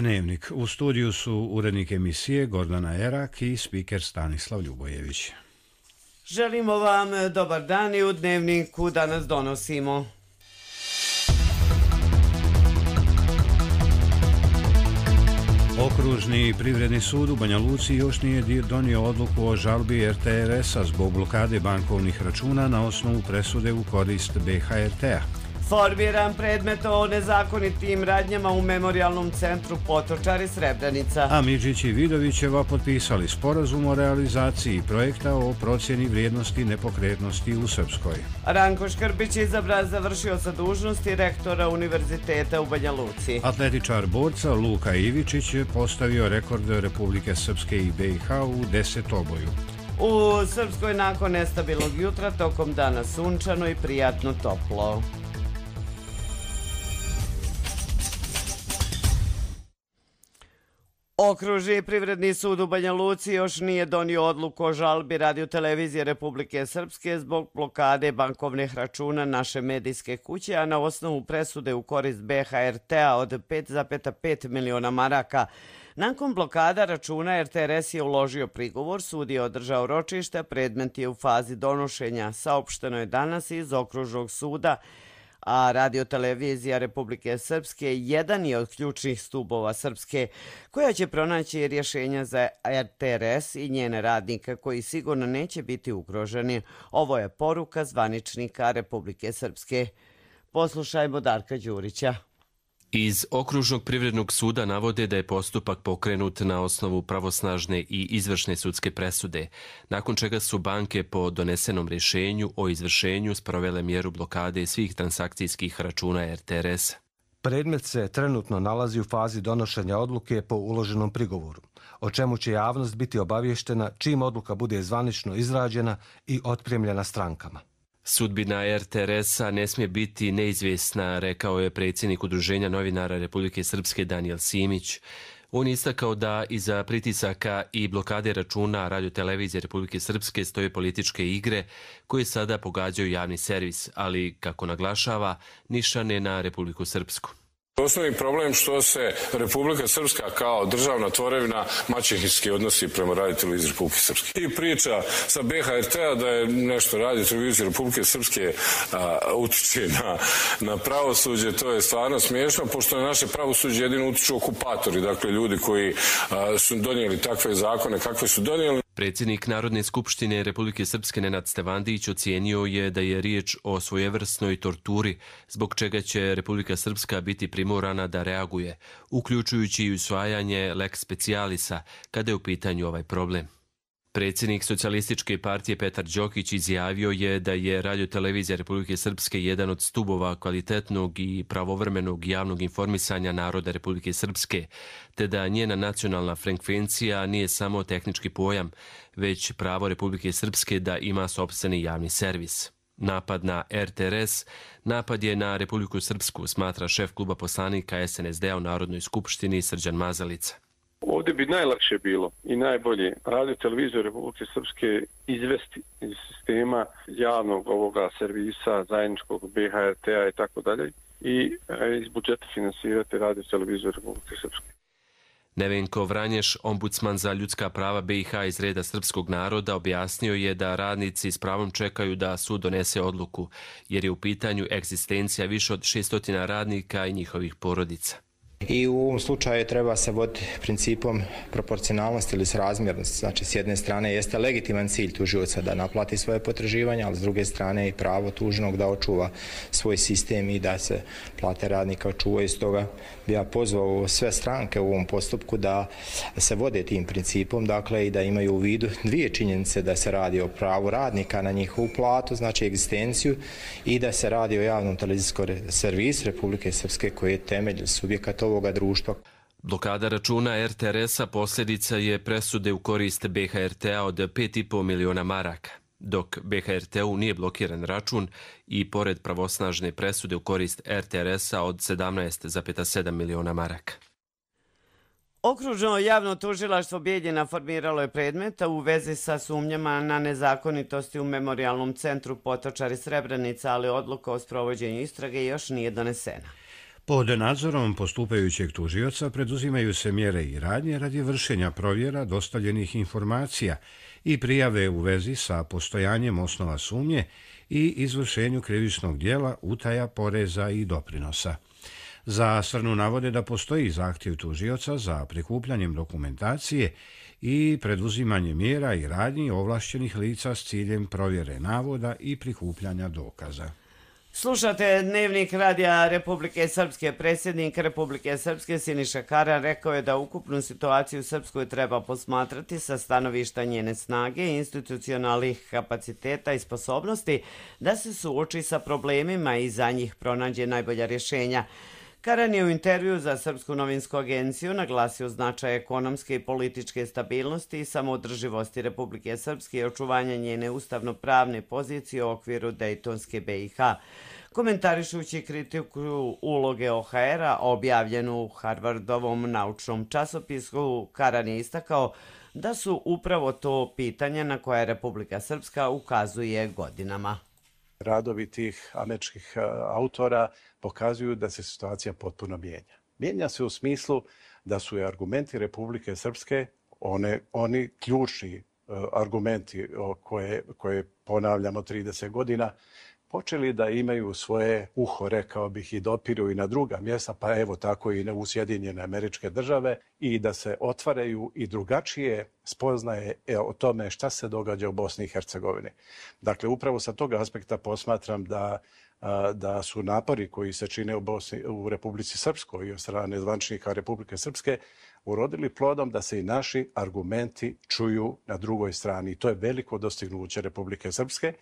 Dnevnik. U studiju su urednik emisije Gordana Erak i spiker Stanislav Ljubojević. Želimo vam dobar dan i u Dnevniku danas donosimo. Okružni privredni sud u Banja Luci još nije donio odluku o žalbi RTRS-a zbog blokade bankovnih računa na osnovu presude u korist BHRT-a. Formiran predmet o nezakonitim radnjama u Memorijalnom centru Potočari Srebrenica. A Midžić i Vidovićeva potpisali sporazum o realizaciji projekta o procjeni vrijednosti nepokretnosti u Srpskoj. Ranko Škrbić izabran završio sa dužnosti rektora Univerziteta u Banja Luci. Atletičar borca Luka Ivičić je postavio rekord Republike Srpske i BiH u 10-oboju. U Srpskoj nakon nestabilnog jutra tokom dana sunčano i prijatno toplo. Okružni privredni sud u Banja Luci još nije donio odluku o žalbi Radio-televizije Republike Srpske zbog blokade bankovnih računa naše medijske kuće, a na osnovu presude u korist BHRT-a od 5,5 miliona maraka. Nakon blokada računa RTRS je uložio prigovor, sud je održao ročište, predmet je u fazi donošenja. Saopšteno je danas iz Okružnog suda, a Radio-televizija Republike Srpske jedan je od ključnih stubova Srpske, koja će pronaći rješenja za RTRS i njene radnike koji sigurno neće biti ugroženi. Ovo je poruka zvaničnika Republike Srpske. Poslušajmo Darka Đurića. Iz Okružnog privrednog suda navode da je postupak pokrenut na osnovu pravosnažne i izvršne sudske presude, nakon čega su banke po donesenom rješenju o izvršenju sprovele mjeru blokade svih transakcijskih računa RTRS. Predmet se trenutno nalazi u fazi donošenja odluke po uloženom prigovoru, o čemu će javnost biti obavještena čim odluka bude zvanično izrađena i otpremljena strankama. Sudbina RTRS-a ne smije biti neizvjesna, rekao je predsjednik Udruženja novinara Republike Srpske Danijel Simić. On je istakao da iza pritisaka i blokade računa Radio-televizije Republike Srpske stoje političke igre koje sada pogađaju javni servis, ali, kako naglašava, nišane na Republiku Srpsku. Osnovni problem što se Republika Srpska kao državna tvorevina maćehinski odnosi prema Radio-televiziji Republike Srpske. I priča sa BHRT-a da je nešto Radio-televizija Republike Srpske utiče na pravosuđe, to je stvarno smiješno, pošto na naše pravosuđe jedino utiču okupatori, dakle ljudi koji su donijeli takve zakone kakve su donijeli. Predsjednik Narodne skupštine Republike Srpske Nenad Stevandić ocijenio je da je riječ o svojevrsnoj torturi, zbog čega će Republika Srpska biti primorana da reaguje, uključujući i usvajanje lex specialisa kada je u pitanju ovaj problem. Predsjednik Socijalističke partije Petar Đokić izjavio je da je Radio-televizija Republike Srpske jedan od stubova kvalitetnog i pravovremenog javnog informisanja naroda Republike Srpske, te da njena nacionalna frekvencija nije samo tehnički pojam, već pravo Republike Srpske da ima sopstveni javni servis. Napad na RTRS, napad je na Republiku Srpsku, smatra šef kluba poslanika SNSD-a u Narodnoj skupštini Srđan Mazalica. Ovdje bi najlakše bilo i najbolje Radio-televiziju Republike Srpske izvesti iz sistema javnog ovoga servisa, zajedničkog BHRT-a i tako dalje i iz budžeta finansirati Radio-televiziju Republike Srpske. Nevenko Vranješ, ombudsman za ljudska prava BiH iz reda srpskog naroda, objasnio je da radnici s pravom čekaju da sud donese odluku, jer je u pitanju egzistencija više od 600 radnika i njihovih porodica. I u ovom slučaju treba se voditi principom proporcionalnosti ili srazmjernosti. Znači, s jedne strane jeste legitiman cilj tužioca da naplati svoje potraživanja, ali s druge strane i pravo tužnog da očuva svoj sistem i da se plate radnika očuvaju. Stoga bi ja pozvao sve stranke u ovom postupku da se vode tim principom, dakle i da imaju u vidu dvije činjenice, da se radi o pravu radnika na njihovu platu, znači egzistenciju, i da se radi o javnom televizijskom servisu Republike Srpske koji je temelj subjekata ovoga društva. Blokada računa RTRS-a posljedica je presude u korist BHRT-a od 5,5 miliona maraka, dok BHRT-u nije blokiran račun i pored pravosnažne presude u korist RTRS-a od 17,7 miliona maraka. Okružno javno tužilaštvo Bijeljina formiralo je predmeta u vezi sa sumnjama na nezakonitosti u Memorijalnom centru Potočari Srebrenica, ali odluka o sprovođenju istrage još nije donesena. Pod nadzorom postupajućeg tužioca preduzimaju se mjere i radnje radi vršenja provjera dostavljenih informacija i prijave u vezi sa postojanjem osnova sumnje i izvršenju krivičnog djela utaja poreza i doprinosa. Za Srnu navode da postoji zahtjev tužioca za prikupljanjem dokumentacije i preduzimanje mjera i radnji ovlašćenih lica s ciljem provjere navoda i prikupljanja dokaza. Slušate Dnevnik Radija Republike Srpske. Predsjednik Republike Srpske Siniša Karan rekao je da ukupnu situaciju u Srpskoj treba posmatrati sa stanovišta njene snage, institucionalnih kapaciteta i sposobnosti da se suoči sa problemima i za njih pronađe najbolja rješenja. Karan je u intervju za Srpsku novinsku agenciju naglasio značaj ekonomske i političke stabilnosti i samoodrživosti Republike Srpske i očuvanja njene ustavno-pravne pozicije u okviru Dejtonske BiH. Komentarišući kritiku uloge OHR-a objavljenu u Harvardovom naučnom časopisu, Karan je istakao da su upravo to pitanja na koje Republika Srpska ukazuje godinama. Radovi tih američkih autora pokazuju da se situacija potpuno mijenja. Mijenja se u smislu da su argumenti Republike Srpske, oni ključni argumenti koje ponavljamo 30 godina, počeli da imaju svoje uho, rekao bih, i dopiru i na druga mjesta, pa evo tako i u Sjedinjene Američke Države, i da se otvaraju i drugačije spoznaje o tome šta se događa u Bosni i Hercegovini. Dakle, upravo sa tog aspekta posmatram da su napori koji se čine u Republici Srpskoj i od strane zvaničnika Republike Srpske urodili plodom da se i naši argumenti čuju na drugoj strani. To je veliko dostignuće Republike Srpske.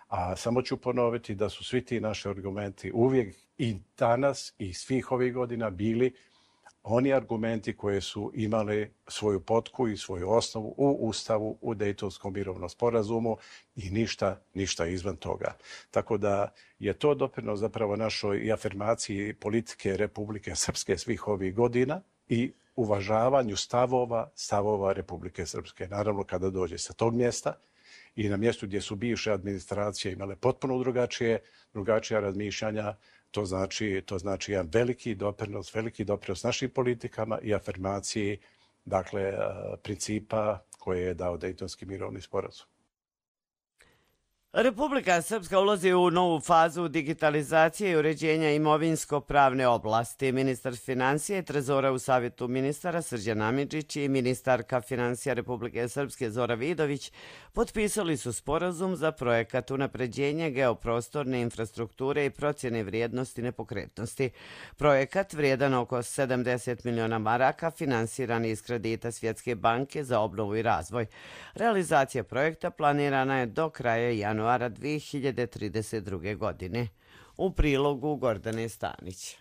A samo ću ponoviti da su svi ti naši argumenti uvijek i danas i svih ovih godina bili oni argumenti koji su imali svoju potku i svoju osnovu u Ustavu, u Dejtonskom mirovnom sporazumu i ništa izvan toga. Tako da je to doprinos zapravo našoj i afirmaciji politike Republike Srpske svih ovih godina i uvažavanju stavova Republike Srpske. Naravno, kada dođe sa tog mjesta i na mjestu gdje su bivše administracije imale potpuno drugačija razmišljanja, to znači jedan veliki doprinos našim politikama i afirmaciji, dakle, principa koje je dao Dejtonski mirovni sporazum. Republika Srpska ulazi u novu fazu digitalizacije i uređenja imovinsko-pravne oblasti. Ministar financija i trezora u Savjetu ministara Srđan Amidžić i ministarka financija Republike Srpske Zora Vidović potpisali su sporazum za projekat unapređenja geoprostorne infrastrukture i procjene vrijednosti nepokretnosti. Projekat vrijedan oko 70 miliona maraka finansiran iz kredita Svjetske banke za obnovu i razvoj. Realizacija projekta planirana je do kraja januara 2032. godine. U prilogu Gordane Stanić.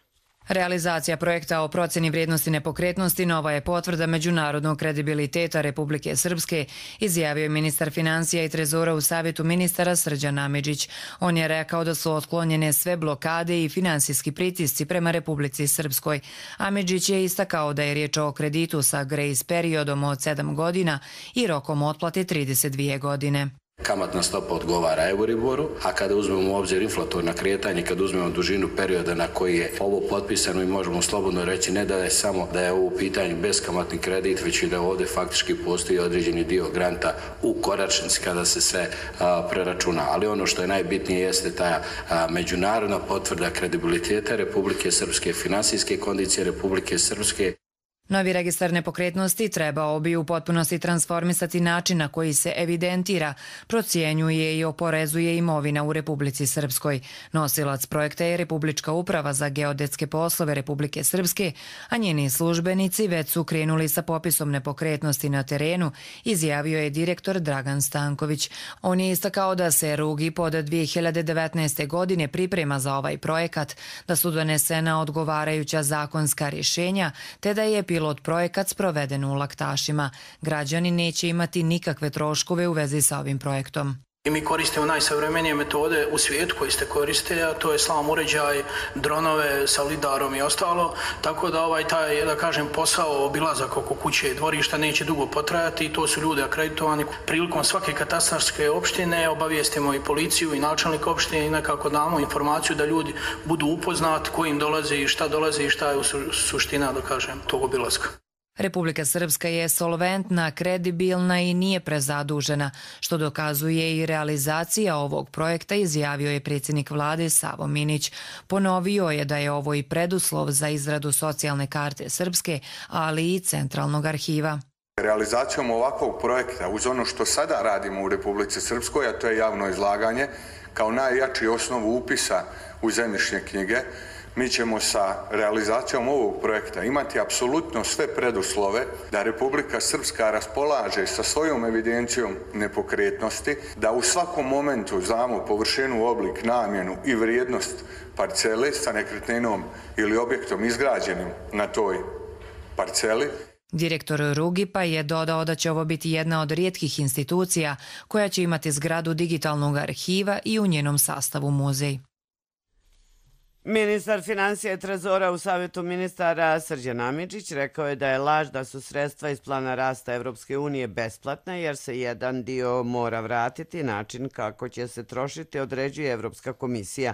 Realizacija projekta o procjeni vrijednosti nepokretnosti nova je potvrda međunarodnog kredibiliteta Republike Srpske, izjavio je ministar financija i trezora u Savjetu ministara Srđan Amidžić. On je rekao da su otklonjene sve blokade i finansijski pritisci prema Republici Srpskoj. Amidžić je istakao da je riječ o kreditu sa grace periodom od 7 godina i rokom otplate 32 godine. Kamatna stopa odgovara Euriboru, a kada uzmemo u obzir inflatorna kretanja, kada uzmemo dužinu perioda na koji je ovo potpisano, i možemo slobodno reći ne da je samo da je ovo u pitanju beskamatni kredit, već i da ovdje faktički postoji određeni dio granta u koračnici kada se sve preračuna. Ali ono što je najbitnije jeste ta međunarodna potvrda kredibiliteta Republike Srpske, finansijske kondicije Republike Srpske. Novi registar nepokretnosti trebao bi u potpunosti transformisati način na koji se evidentira, procjenjuje i oporezuje imovina u Republici Srpskoj. Nosilac projekta je Republička uprava za geodetske poslove Republike Srpske, a njeni službenici već su krenuli sa popisom nepokretnosti na terenu, izjavio je direktor Dragan Stanković. On je istakao da se Rugi pod 2019. godine priprema za ovaj projekat, da su donesena odgovarajuća zakonska rješenja, te da je pilot projekat sproveden u Laktašima. Građani neće imati nikakve troškove u vezi sa ovim projektom. I mi koristimo najsavremenije metode u svijetu koje ste koriste, a to je slam uređaj, dronove sa lidarom i ostalo, tako da taj, da kažem, posao obilazak oko kuće i dvorišta neće dugo potrajati i to su ljudi akreditovani. Prilikom svake katastarske opštine obavijestimo i policiju i načelnik opštine i nekako damo informaciju da ljudi budu upoznati ko im dolazi i šta je suština, da kažem, tog obilazka. Republika Srpska je solventna, kredibilna i nije prezadužena, što dokazuje i realizacija ovog projekta, izjavio je predsjednik vlade Savo Minić. Ponovio je da je ovo i preduslov za izradu socijalne karte Srpske, ali i centralnog arhiva. Realizacijom ovakvog projekta, uz ono što sada radimo u Republici Srpskoj, a to je javno izlaganje, kao najjači osnovu upisa u zemljišne knjige, mi ćemo sa realizacijom ovog projekta imati apsolutno sve preduslove da Republika Srpska raspolaže sa svojom evidencijom nepokretnosti, da u svakom momentu znamo površinu, oblik, namjenu i vrijednost parcele sa nekretninom ili objektom izgrađenim na toj parceli. Direktor Rugipa je dodao da će ovo biti jedna od rijetkih institucija koja će imati zgradu digitalnog arhiva i u njenom sastavu muzej. Ministar financija i trezora u Savjetu ministara Srđan Amidžić rekao je da je laž da su sredstva iz plana rasta Evropske unije besplatna jer se jedan dio mora vratiti, način kako će se trošiti određuje Evropska komisija.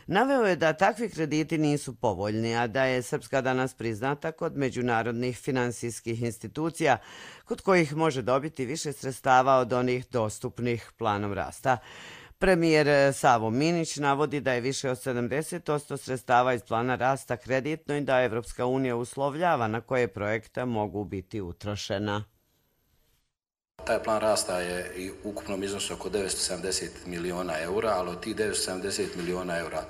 Naveo je da takvi krediti nisu povoljni, a da je Srpska danas priznata kod međunarodnih finansijskih institucija, kod kojih može dobiti više sredstava od onih dostupnih planom rasta. Premijer Savo Minić navodi da je više od 70% sredstava iz plana rasta kreditno i da Evropska unija uslovljava na koje projekte mogu biti utrošena. Taj plan rasta je i u ukupnom iznosu oko 970 miliona eura, ali od tih 970 miliona eura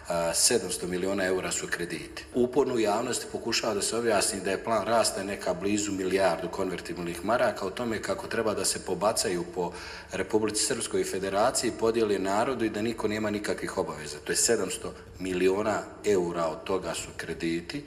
700 miliona eura su krediti. Uporno u javnosti pokušava da se objasni da je plan rasta neka blizu milijardu konvertibilnih maraka o tome kako treba da se pobacaju po Republici Srpskoj i Federaciji, podijeli narodu i da niko nema nikakvih obaveza. To je 700 miliona eura, od toga su krediti,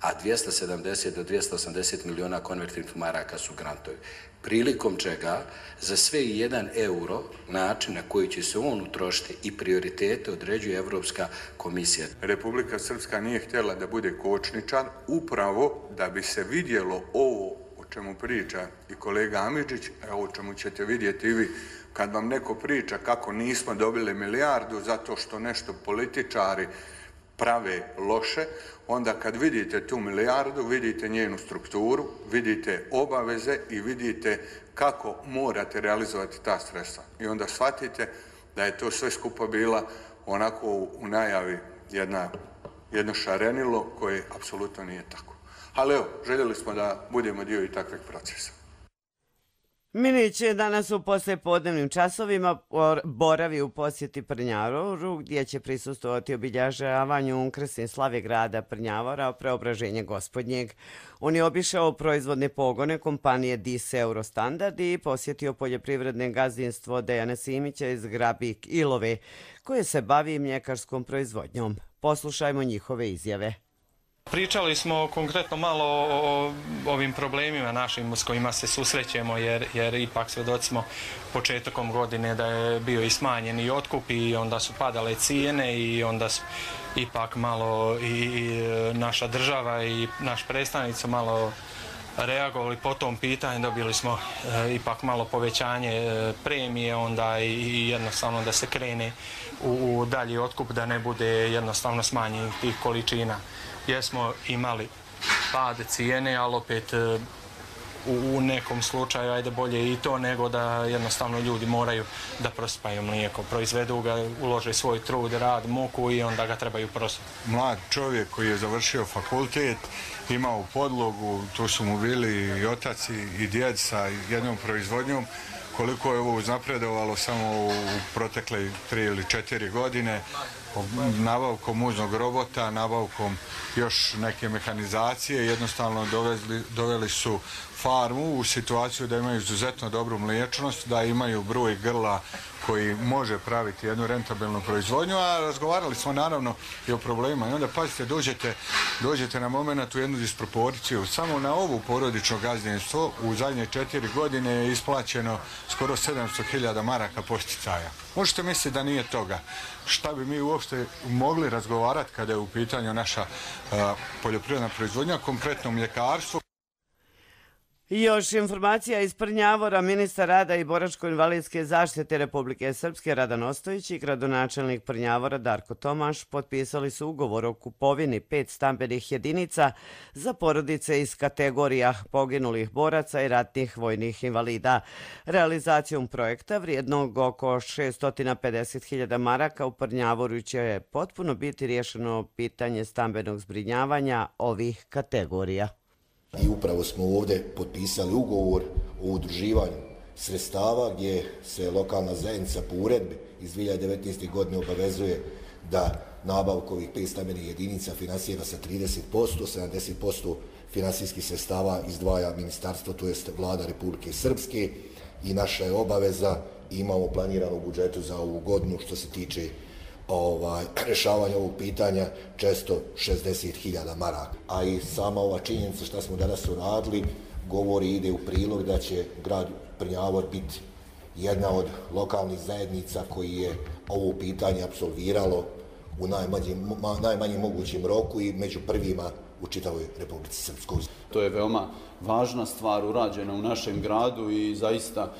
a 270 do 280 miliona konvertibilnih maraka su grantovi. Prilikom čega za sve 1 euro način na koji će se on utrošiti i prioritete određuje Evropska komisija. Republika Srpska nije htjela da bude kočničar upravo da bi se vidjelo ovo o čemu priča i kolega Amidžić, a o čemu ćete vidjeti i vi. Kad vam neko priča kako nismo dobili milijardu zato što nešto političari prave loše, onda kad vidite tu milijardu, vidite njenu strukturu, vidite obaveze i vidite kako morate realizovati ta sredstva. I onda shvatite da je to sve skupa bila onako u najavi jedno šarenilo koje apsolutno nije tako. Ali evo, željeli smo da budemo dio i takvih procesa. Minić je danas u poslijepodnevnim časovima boravi u posjeti Prnjavoru, gdje će prisustvovati obilježavanju krsne slave grada Prnjavora, Preobraženje Gospodnjeg. On je obišao proizvodne pogone kompanije DIS Eurostandard i posjetio poljoprivredne gazdinstvo Dejana Simića iz Grabik Ilove, koje se bavi mljekarskom proizvodnjom. Poslušajmo njihove izjave. Pričali smo konkretno malo o ovim problemima našim s kojima se susrećemo jer ipak svjedoci smo početkom godine da je bio i smanjen i otkup i onda su padale cijene i onda su ipak malo i naša država i naš predstavnik su malo reagovali po tom pitanju, dobili smo ipak malo povećanje premije onda i jednostavno da se krene u dalji otkup, da ne bude jednostavno smanjenih tih količina. Jesmo imali pad cijene, ali opet u nekom slučaju ajde bolje i to nego da jednostavno ljudi moraju da prosipaju mlijeko. Proizvedu ga, ulože svoj trud, rad, muku i onda ga trebaju prosipati. Mlad čovjek koji je završio fakultet, imao podlogu, tu su mu bili i otac i djed sa jednom proizvodnjom. Koliko je ovo uznapredovalo samo u protekle 3 ili 4 godine, nabavkom muznog robota, nabavkom još neke mehanizacije, jednostavno doveli su farmu u situaciju da imaju izuzetno dobru mliječnost, da imaju broj grla koji može praviti jednu rentabilnu proizvodnju, a razgovarali smo naravno i o problemima. I onda pazite, dođete na moment u jednu disproporciju. Samo na ovu porodično gazdinstvo u zadnje 4 godine je isplaćeno skoro 700.000 maraka posticaja. Možete misliti da nije toga. Šta bi mi uopšte mogli razgovarati kada je u pitanju naša poljoprivredna proizvodnja, konkretno mljekarstvo. Još informacija iz Prnjavora. Ministar rada i boračko-invalidske zaštite Republike Srpske Radan Ostojić i gradonačelnik Prnjavora Darko Tomaš potpisali su ugovor o kupovini 5 stambenih jedinica za porodice iz kategorija poginulih boraca i ratnih vojnih invalida. Realizacijom projekta vrijednog oko 650.000 maraka u Prnjavoru će potpuno biti riješeno pitanje stambenog zbrinjavanja ovih kategorija. I upravo smo ovdje potpisali ugovor o udruživanju sredstava gdje se lokalna zajednica po uredbi iz 2019. godine obavezuje da nabavku ovih 5 stambenih jedinica finansira sa 30%, 70% finansijskih sredstava izdvaja ministarstvo, to jest vlada Republike Srpske, i naša je obaveza, imamo planirano u budžetu za ovu godinu što se tiče rješavanja ovog pitanja 460.000 maraka. A i sama ova činjenica što smo danas uradili govori, ide u prilog da će grad Prnjavor biti jedna od lokalnih zajednica koji je ovo pitanje apsolviralo u najmanjem mogućem roku i među prvima u čitavoj Republici Srpskoj. To je veoma važna stvar urađena u našem gradu i zaista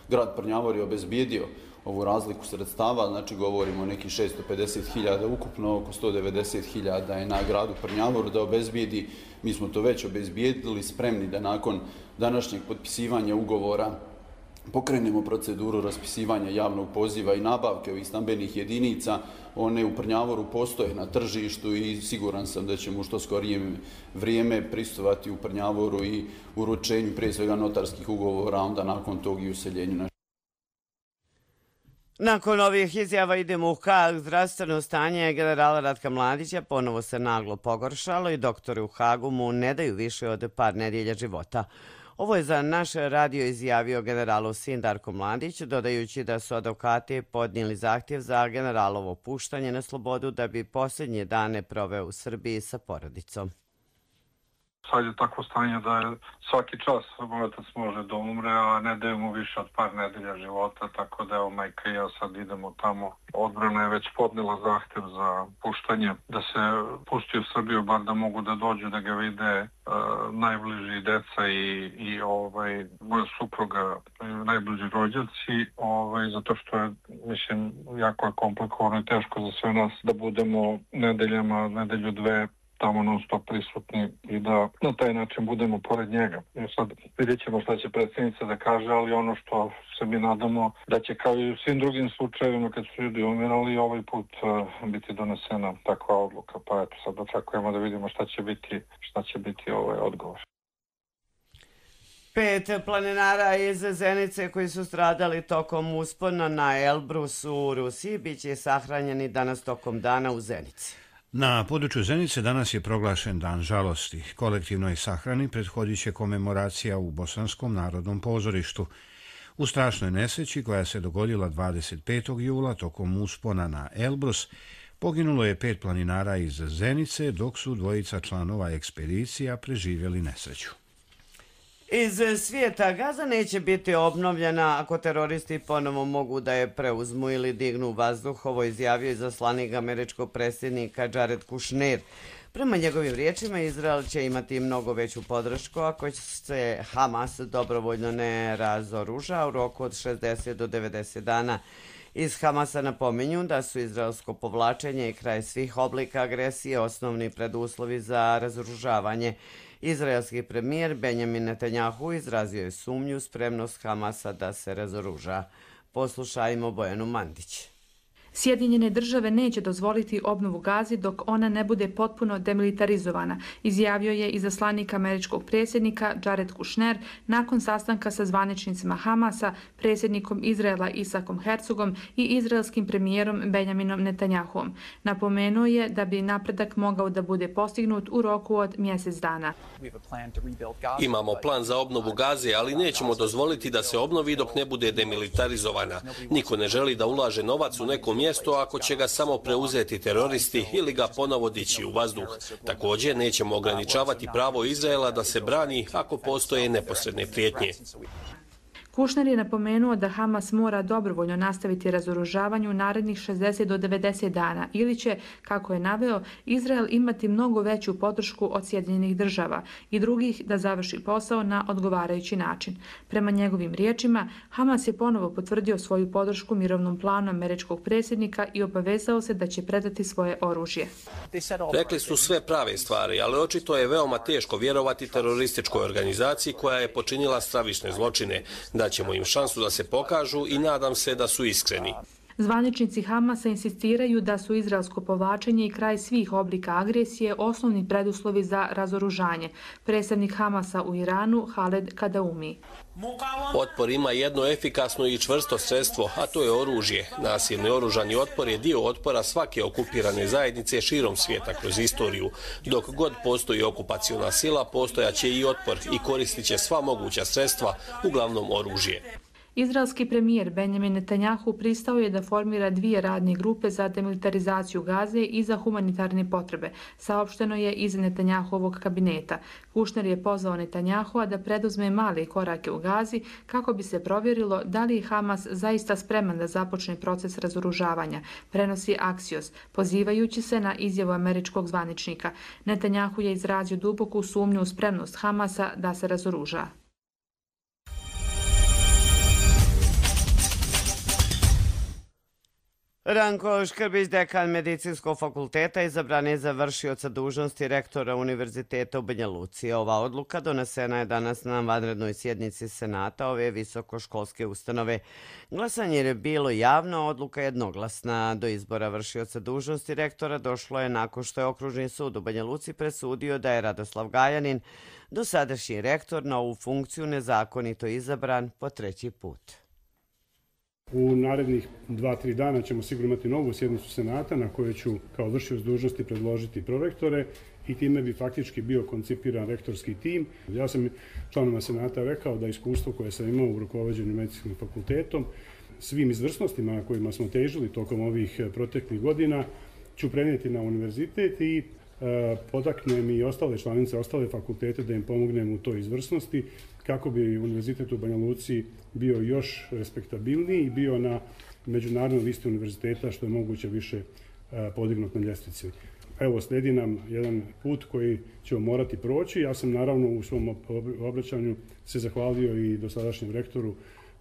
grad Prnjavor je obezbijedio ovu razliku sredstava, znači govorimo o nekih 650.000, ukupno oko 190.000 je na gradu Prnjavoru da obezbijedi. Mi smo to već obezbijedili, spremni da nakon današnjeg potpisivanja ugovora pokrenemo proceduru raspisivanja javnog poziva i nabavke ovih stambenih jedinica. One u Prnjavoru postoje na tržištu i siguran sam da ćemo u što skorije vrijeme prisustvovati u Prnjavoru i uručenju prije svega notarskih ugovora, onda nakon tog i useljenju. Nakon ovih izjava idemo u Hag. Zdravstveno stanje generala Ratka Mladića ponovo se naglo pogoršalo i doktori u Hagu mu ne daju više od par nedjelja života. Ovo je za naš radio izjavio generalov sin Darko Mladić, dodajući da su advokati podnijeli zahtjev za generalovo puštanje na slobodu da bi posljednje dane proveo u Srbiji sa porodicom. Sad je takvo stanje da je svaki čas otac može da umre, a ne daju mu više od par nedelja života, tako da evo majka i ja sad idemo tamo. Odbrana je već podnela zahtjev za puštanje, da se pusti u Srbiju, bar da mogu da dođu, da ga vide najbliži deca i moja supruga, najbliži rođaci, zato što je, mislim, jako je komplikovano i teško za sve nas da budemo nedelju dve tamo non stop prisutni i da na taj način budemo pored njega. I sad vidjet ćemo šta će predsjednica da kaže, ali ono što se mi nadamo da će kao i u svim drugim slučajevima kad su ljudi umirali ovaj put biti donesena takva odluka. Pa eto sad očekujemo da vidimo šta će biti odgovor. 5 planinara iz Zenice koji su stradali tokom uspona na Elbrusu u Rusiji biće sahranjeni danas tokom dana u Zenici. Na području Zenice danas je proglašen dan žalosti. Kolektivnoj sahrani prethodit će komemoracija u Bosanskom narodnom pozorištu. U strašnoj nesreći koja se dogodila 25. jula tokom uspona na Elbrus poginulo je 5 planinara iz Zenice, dok su 2 članova ekspedicija preživjeli nesreću. Iz svijeta, Gaza neće biti obnovljena ako teroristi ponovo mogu da je preuzmu ili dignu vazduh. Ovo izjavio izaslanik američkog predsjednika Jared Kushner. Prema njegovim riječima, Izrael će imati mnogo veću podršku ako se Hamas dobrovoljno ne razoruža u roku od 60 do 90 dana. Iz Hamasa napominju da su izraelsko povlačenje i kraj svih oblika agresije osnovni preduslovi za razoružavanje. Izraelski premijer Benjamin Netanjahu izrazio je sumnju spremnost Hamasa da se razoruža. Poslušajmo Bojanu Mandić. Sjedinjene države neće dozvoliti obnovu Gazi dok ona ne bude potpuno demilitarizovana, izjavio je izaslanik američkog predsjednika Jared Kushner nakon sastanka sa zvaničnicima Hamasa, predsjednikom Izraela Isakom Herzogom i izraelskim premijerom Benjaminom Netanjahuom. Napomenuo je da bi napredak mogao da bude postignut u roku od mjesec dana. Imamo plan za obnovu Gaze, ali nećemo dozvoliti da se obnovi dok ne bude demilitarizovana. Niko ne želi da ulaže novac u neko mjesto ako će ga samo preuzeti teroristi ili ga ponovo dići u vazduh. Također nećemo ograničavati pravo Izraela da se brani ako postoje neposredne prijetnje. Kushner je napomenuo da Hamas mora dobrovoljno nastaviti razoružavanje u narednih 60 do 90 dana ili će, kako je naveo, Izrael imati mnogo veću podršku od Sjedinjenih država i drugih da završi posao na odgovarajući način. Prema njegovim riječima, Hamas je ponovo potvrdio svoju podršku mirovnom planu američkog predsjednika i obavezao se da će predati svoje oružje. Rekli su sve prave stvari, ali očito je veoma teško vjerovati terorističkoj organizaciji koja je počinila stravične zločine. Daćemo im šansu da se pokažu i nadam se da su iskreni. Zvaničnici Hamasa insistiraju da su izraelsko povlačenje i kraj svih oblika agresije osnovni preduslovi za razoružanje. Predstavnik Hamasa u Iranu, Haled Kadaumi. Otpor ima jedno efikasno i čvrsto sredstvo, a to je oružje. Nasilni oružani otpor je dio otpora svake okupirane zajednice širom svijeta kroz istoriju. Dok god postoji okupaciona sila, postojaće i otpor i koristit će sva moguća sredstva, uglavnom oružje. Izraelski premijer Benjamin Netanjahu pristao je da formira 2 radne grupe za demilitarizaciju Gaze i za humanitarne potrebe, saopšteno je iz Netanjahovog kabineta. Kushner je pozvao Netanjahua da preduzme male korake u Gazi kako bi se provjerilo da li je Hamas zaista spreman da započne proces razoružavanja, prenosi Axios, pozivajući se na izjavu američkog zvaničnika. Netanjahu je izrazio duboku sumnju u spremnost Hamasa da se razoruža. Ranko Škrbić, dekan Medicinskog fakulteta, izabran je za vršioca dužnosti rektora Univerziteta u Banja Luci. Ova odluka donesena je danas na vanrednoj sjednici Senata ove visokoškolske ustanove. Glasanje je bilo javno, odluka jednoglasna. Do izbora vršioca dužnosti rektora došlo je nakon što je Okružni sud u Banja Luci presudio da je Radoslav Gajanin, dosadašnji rektor, na ovu funkciju nezakonito izabran po 3. put. U narednih 2-3 dana ćemo sigurno imati novu sjednicu Senata na kojoj ću kao vršioc dužnosti predložiti prorektore i time bi faktički bio koncipiran rektorski tim. Ja sam članovima Senata rekao da iskustvo koje sam imao u rukovođenju medicinskim fakultetom, svim izvrsnostima kojima smo težili tokom ovih proteklih godina, ću prenijeti na univerzitet i potaknem i ostale članice, ostale fakultete da im pomognem u toj izvrsnosti kako bi univerzitet u Banja Luci bio još respektabilniji i bio na međunarodnoj listi univerziteta što je moguće više podignut na ljestvici. Evo, slijedi nam jedan put koji ćemo morati proći. Ja sam naravno u svom obraćanju se zahvalio i dosadašnjem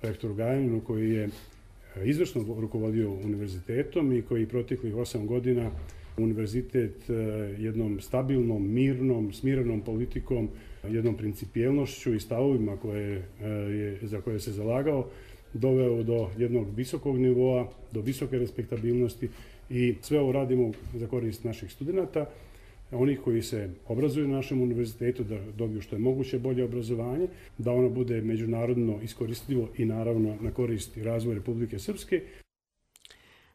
rektoru Gajaninu koji je izvrsno rukovodio univerzitetom i koji proteklih 8 godina univerzitet jednom stabilnom, mirnom, smirenom politikom, jednom principijelnošću i stavovima za koje se zalagao, doveo do jednog visokog nivoa, do visoke respektabilnosti i sve ovo radimo za korist naših studenata, onih koji se obrazuju na našem univerzitetu, da dobiju što je moguće bolje obrazovanje, da ono bude međunarodno iskoristivo i naravno na korist i razvoj Republike Srpske.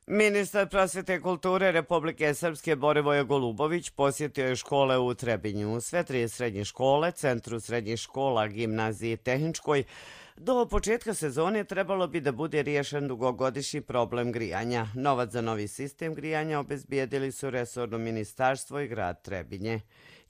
Ministar prosvjete i kulture Republike Srpske Borivoje Golubović posjetio je škole u Trebinju. Sve 3 srednje škole, Centru srednjih škola, Gimnaziji i Tehničkoj, do početka sezone trebalo bi da bude riješen dugogodišnji problem grijanja. Novac za novi sistem grijanja obezbijedili su resorno ministarstvo i grad Trebinje.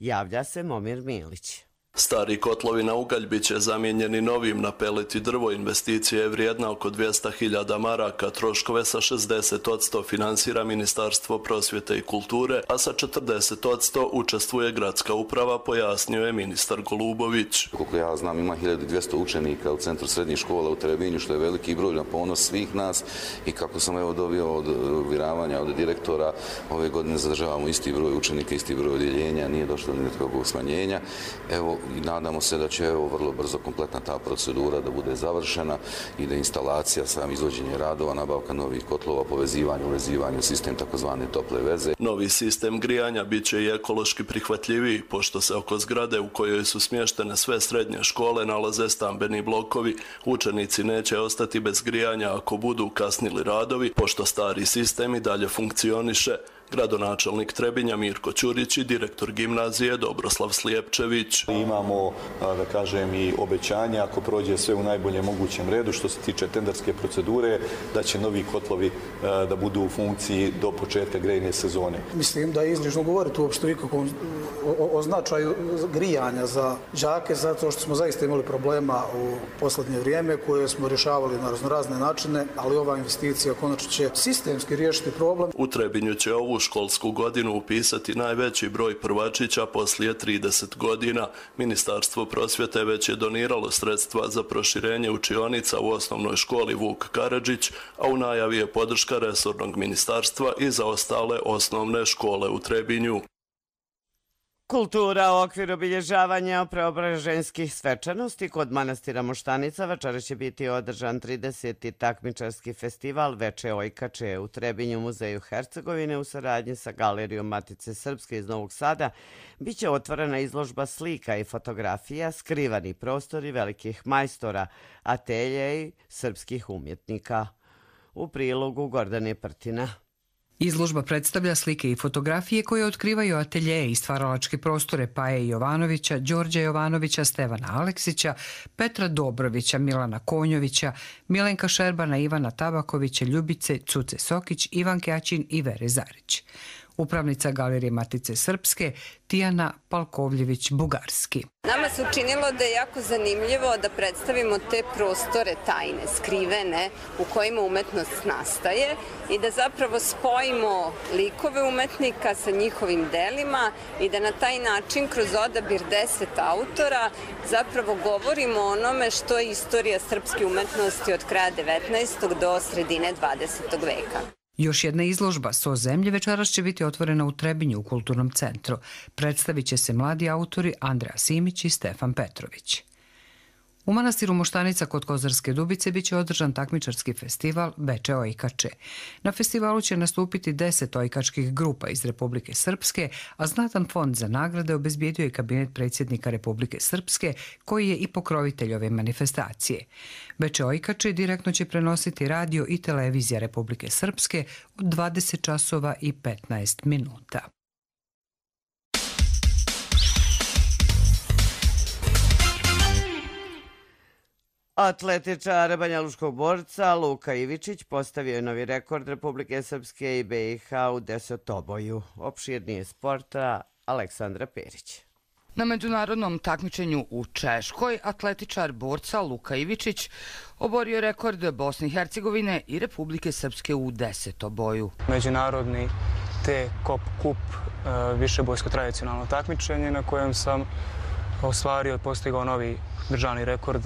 Javlja se Momir Milić. Stari kotlovi na ugalj bit će zamijenjeni novim na pelet i drvo. Investicija je vrijedna oko 200.000 maraka, troškove sa 60% finansira Ministarstvo prosvjete i kulture, a sa 40% učestvuje gradska uprava, pojasnio je ministar Golubović. Koliko ja znam, ima 1200 učenika u Centru srednjih škola u Trebinju, što je veliki broj na ponos svih nas i kako sam dobio od uvjeravanja od direktora, ove godine zadržavamo isti broj učenika, isti broj odjeljenja, nije došlo ni do kakvog smanjenja. Evo, i nadamo se da će vrlo brzo kompletna ta procedura da bude završena i da instalacija, sam izvođenje radova, nabavka novih kotlova, povezivanje, uvezivanje u sistem takozvane tople veze. Novi sistem grijanja bit će i ekološki prihvatljiviji, pošto se oko zgrade u kojoj su smještene sve srednje škole nalaze stambeni blokovi. Učenici neće ostati bez grijanja ako budu kasnili radovi, pošto stari sistem i dalje funkcioniše. Gradonačelnik Trebinja Mirko Ćurić i direktor gimnazije Dobroslav Slijepčević. Imamo, da kažem, i obećanje, ako prođe sve u najboljem mogućem redu, što se tiče tenderske procedure, da će novi kotlovi da budu u funkciji do početka grejne sezone. Mislim da je izlično govoriti uopšte ikakvom o značaju grijanja za đake, zato što smo zaista imali problema u posljednje vrijeme koje smo rješavali na razne načine, ali ova investicija konačno će sistemski riješiti problem. U Trebinju će ovu školsku godinu upisati najveći broj prvačića poslije 30 godina. Ministarstvo prosvjete već je doniralo sredstva za proširenje učionica u osnovnoj školi Vuk Karadžić, a u najavi je podrška resornog ministarstva i za ostale osnovne škole u Trebinju. Kultura u okviru obilježavanja preobraženskih svečanosti kod manastira Moštanica večeras će biti održan 30. takmičarski festival Veče Ojkače u Trebinju muzeju Hercegovine u saradnji sa Galerijom Matice Srpske iz Novog Sada. Biće otvorena izložba slika i fotografija, skrivani prostori velikih majstora, atelje i srpskih umjetnika. U prilogu Gordane Prtina. Izložba predstavlja slike i fotografije koje otkrivaju ateljeje i stvaralačke prostore Paje Jovanovića, Đorđa Jovanovića, Stevana Aleksića, Petra Dobrovića, Milana Konjovića, Milenka Šerbana, Ivana Tabakovića, Ljubice Cuce Sokić, Ivanke Aćin i Vere Zarić. Upravnica Galerije Matice Srpske Tijana Palkovljević-Bugarski. Nama se učinilo da je jako zanimljivo da predstavimo te prostore tajne, skrivene, u kojima umetnost nastaje i da zapravo spojimo likove umetnika sa njihovim delima i da na taj način kroz odabir 10 autora zapravo govorimo o onome što je istorija srpske umetnosti od kraja 19. do sredine 20. veka. Još jedna izložba So zemlje večeras će biti otvorena u Trebinju u Kulturnom centru. Predstavit će se mladi autori Andreja Simić i Stefan Petrović. U manastiru Moštanica kod Kozarske Dubice biće održan takmičarski festival Veče Ojkače. Na festivalu će nastupiti 10 ojkačkih grupa iz Republike Srpske, a znatan fond za nagrade obezbijedio je kabinet predsjednika Republike Srpske, koji je i pokrovitelj ove manifestacije. Veče Ojkače direktno će prenositi radio i televizija Republike Srpske od 20 časova i 15 minuta. Atletičar banjaluškog borca Luka Ivičić postavio je novi rekord Republike Srpske i BiH u desetoboju. Opširnije sporta Aleksandra Perić. Na međunarodnom takmičenju u Češkoj atletičar borca Luka Ivičić oborio rekord Bosne i Hercegovine i Republike Srpske u desetoboju. Međunarodni T-Kop Kup, višebojsko tradicionalno takmičenje na kojem sam ostvario i postigao novi državni rekord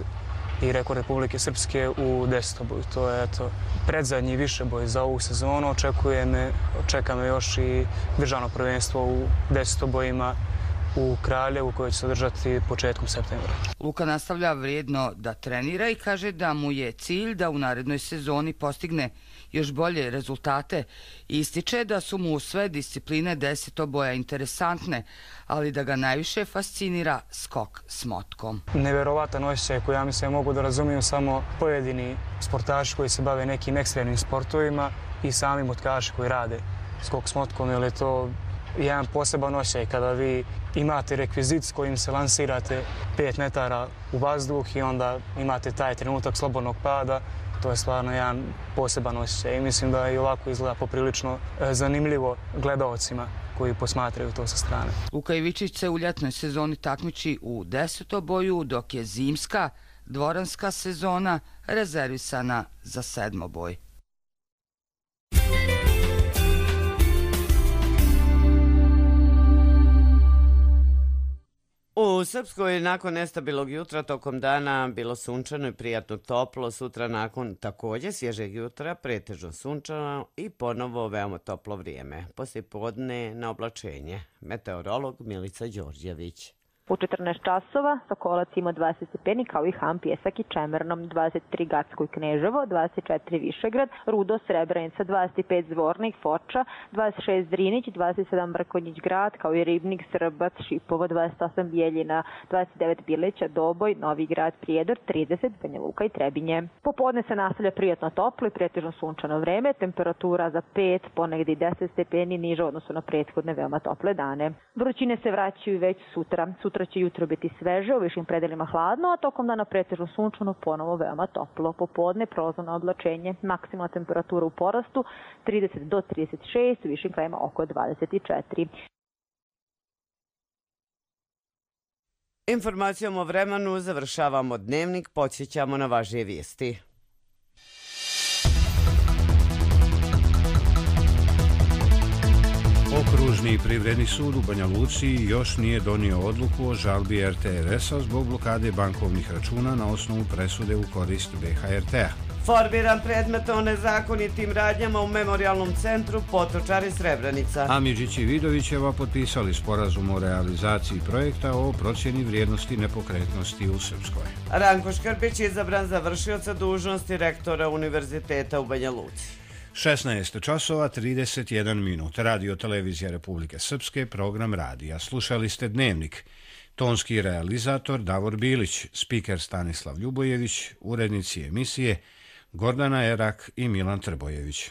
i rekord Republike Srpske u desetoboju. To je predzadnji višeboj za ovu sezonu. Čeka me još i državno prvenstvo u desetobojima u Kraljevu koje će se održati početkom septembra. Luka nastavlja vrijedno da trenira i kaže da mu je cilj da u narednoj sezoni postigne još bolje rezultate i ističe da su mu sve discipline desetoboja interesantne, ali da ga najviše fascinira skok s motkom. Neverovatan osjećaj koji ja mislim mogu da razumiju samo pojedini sportaši koji se bave nekim ekstremnim sportovima i sami motkaši koji rade skok s motkom, jer je to jedan poseban osjećaj kada vi imate rekvizit s kojim se lansirate 5 metara u vazduh i onda imate taj trenutak slobodnog pada. To je stvarno jedan poseban osjećaj i mislim da i ovako izgleda poprilično zanimljivo gledaocima koji posmatraju to sa strane. Luka Ivičić se u ljetnoj sezoni takmiči u desetoboju, dok je zimska, dvoranska sezona rezervisana za sedmoboj. U Srpskoj nakon nestabilnog jutra tokom dana bilo sunčano i prijatno toplo. Sutra nakon također svježeg jutra pretežno sunčano i ponovo veoma toplo vrijeme. Poslijepodne na oblačenje. Meteorolog Milica Đorđević. U 14 časova Sokolac ima 20 stepeni kao i Ham, Pjesak i Čemernom, 23 Gacko i Kneževo, 24 Višegrad, Rudo, Srebrenica, 25 Zvornik, Foča, 26 Drinić, 27 Mrkonjić Grad kao i Ribnik, Srbac, Šipovo, 28 Bijeljina, 29 Bileća, Doboj, Novi Grad, Prijedor, 30 Banja Luka i Trebinje. Popodne se nastavlja prijatno toplo i pretežno sunčano vreme, temperatura za 5, ponegdje i 10 stepeni niže u odnosu na prethodne veoma tople dane. Vrućine se vraćaju već sutra. Sutra će jutro biti sveže, u višim predelima hladno, a tokom dana pretežno sunčano, ponovo veoma toplo. Popodne prolazno oblačenje, maksimalna temperatura u porastu 30 do 36, u višim krajima oko 24. Informacijom o vremenu završavamo dnevnik, podsjećamo na važnije vijesti. Okružni privredni sud u Banja Luci još nije donio odluku o žalbi RTRS-a zbog blokade bankovnih računa na osnovu presude u korist BHRT-a. Formiran predmet o nezakonitim radnjama u memorialnom centru Potočari Srebrenica. Amidžić i Vidovićeva potpisali sporazum o realizaciji projekta o procjeni vrijednosti nepokretnosti u Srpskoj. Ranko Škrpić izabran za vršioca dužnosti rektora Univerziteta u Banja Luci. 16 časova 31 minut. Radio Televizija Republike Srpske, program radija. Slušali ste Dnevnik. Tonski realizator Davor Bilić, spiker Stanislav Ljubojević, urednici emisije Gordana Erak i Milan Trbojević.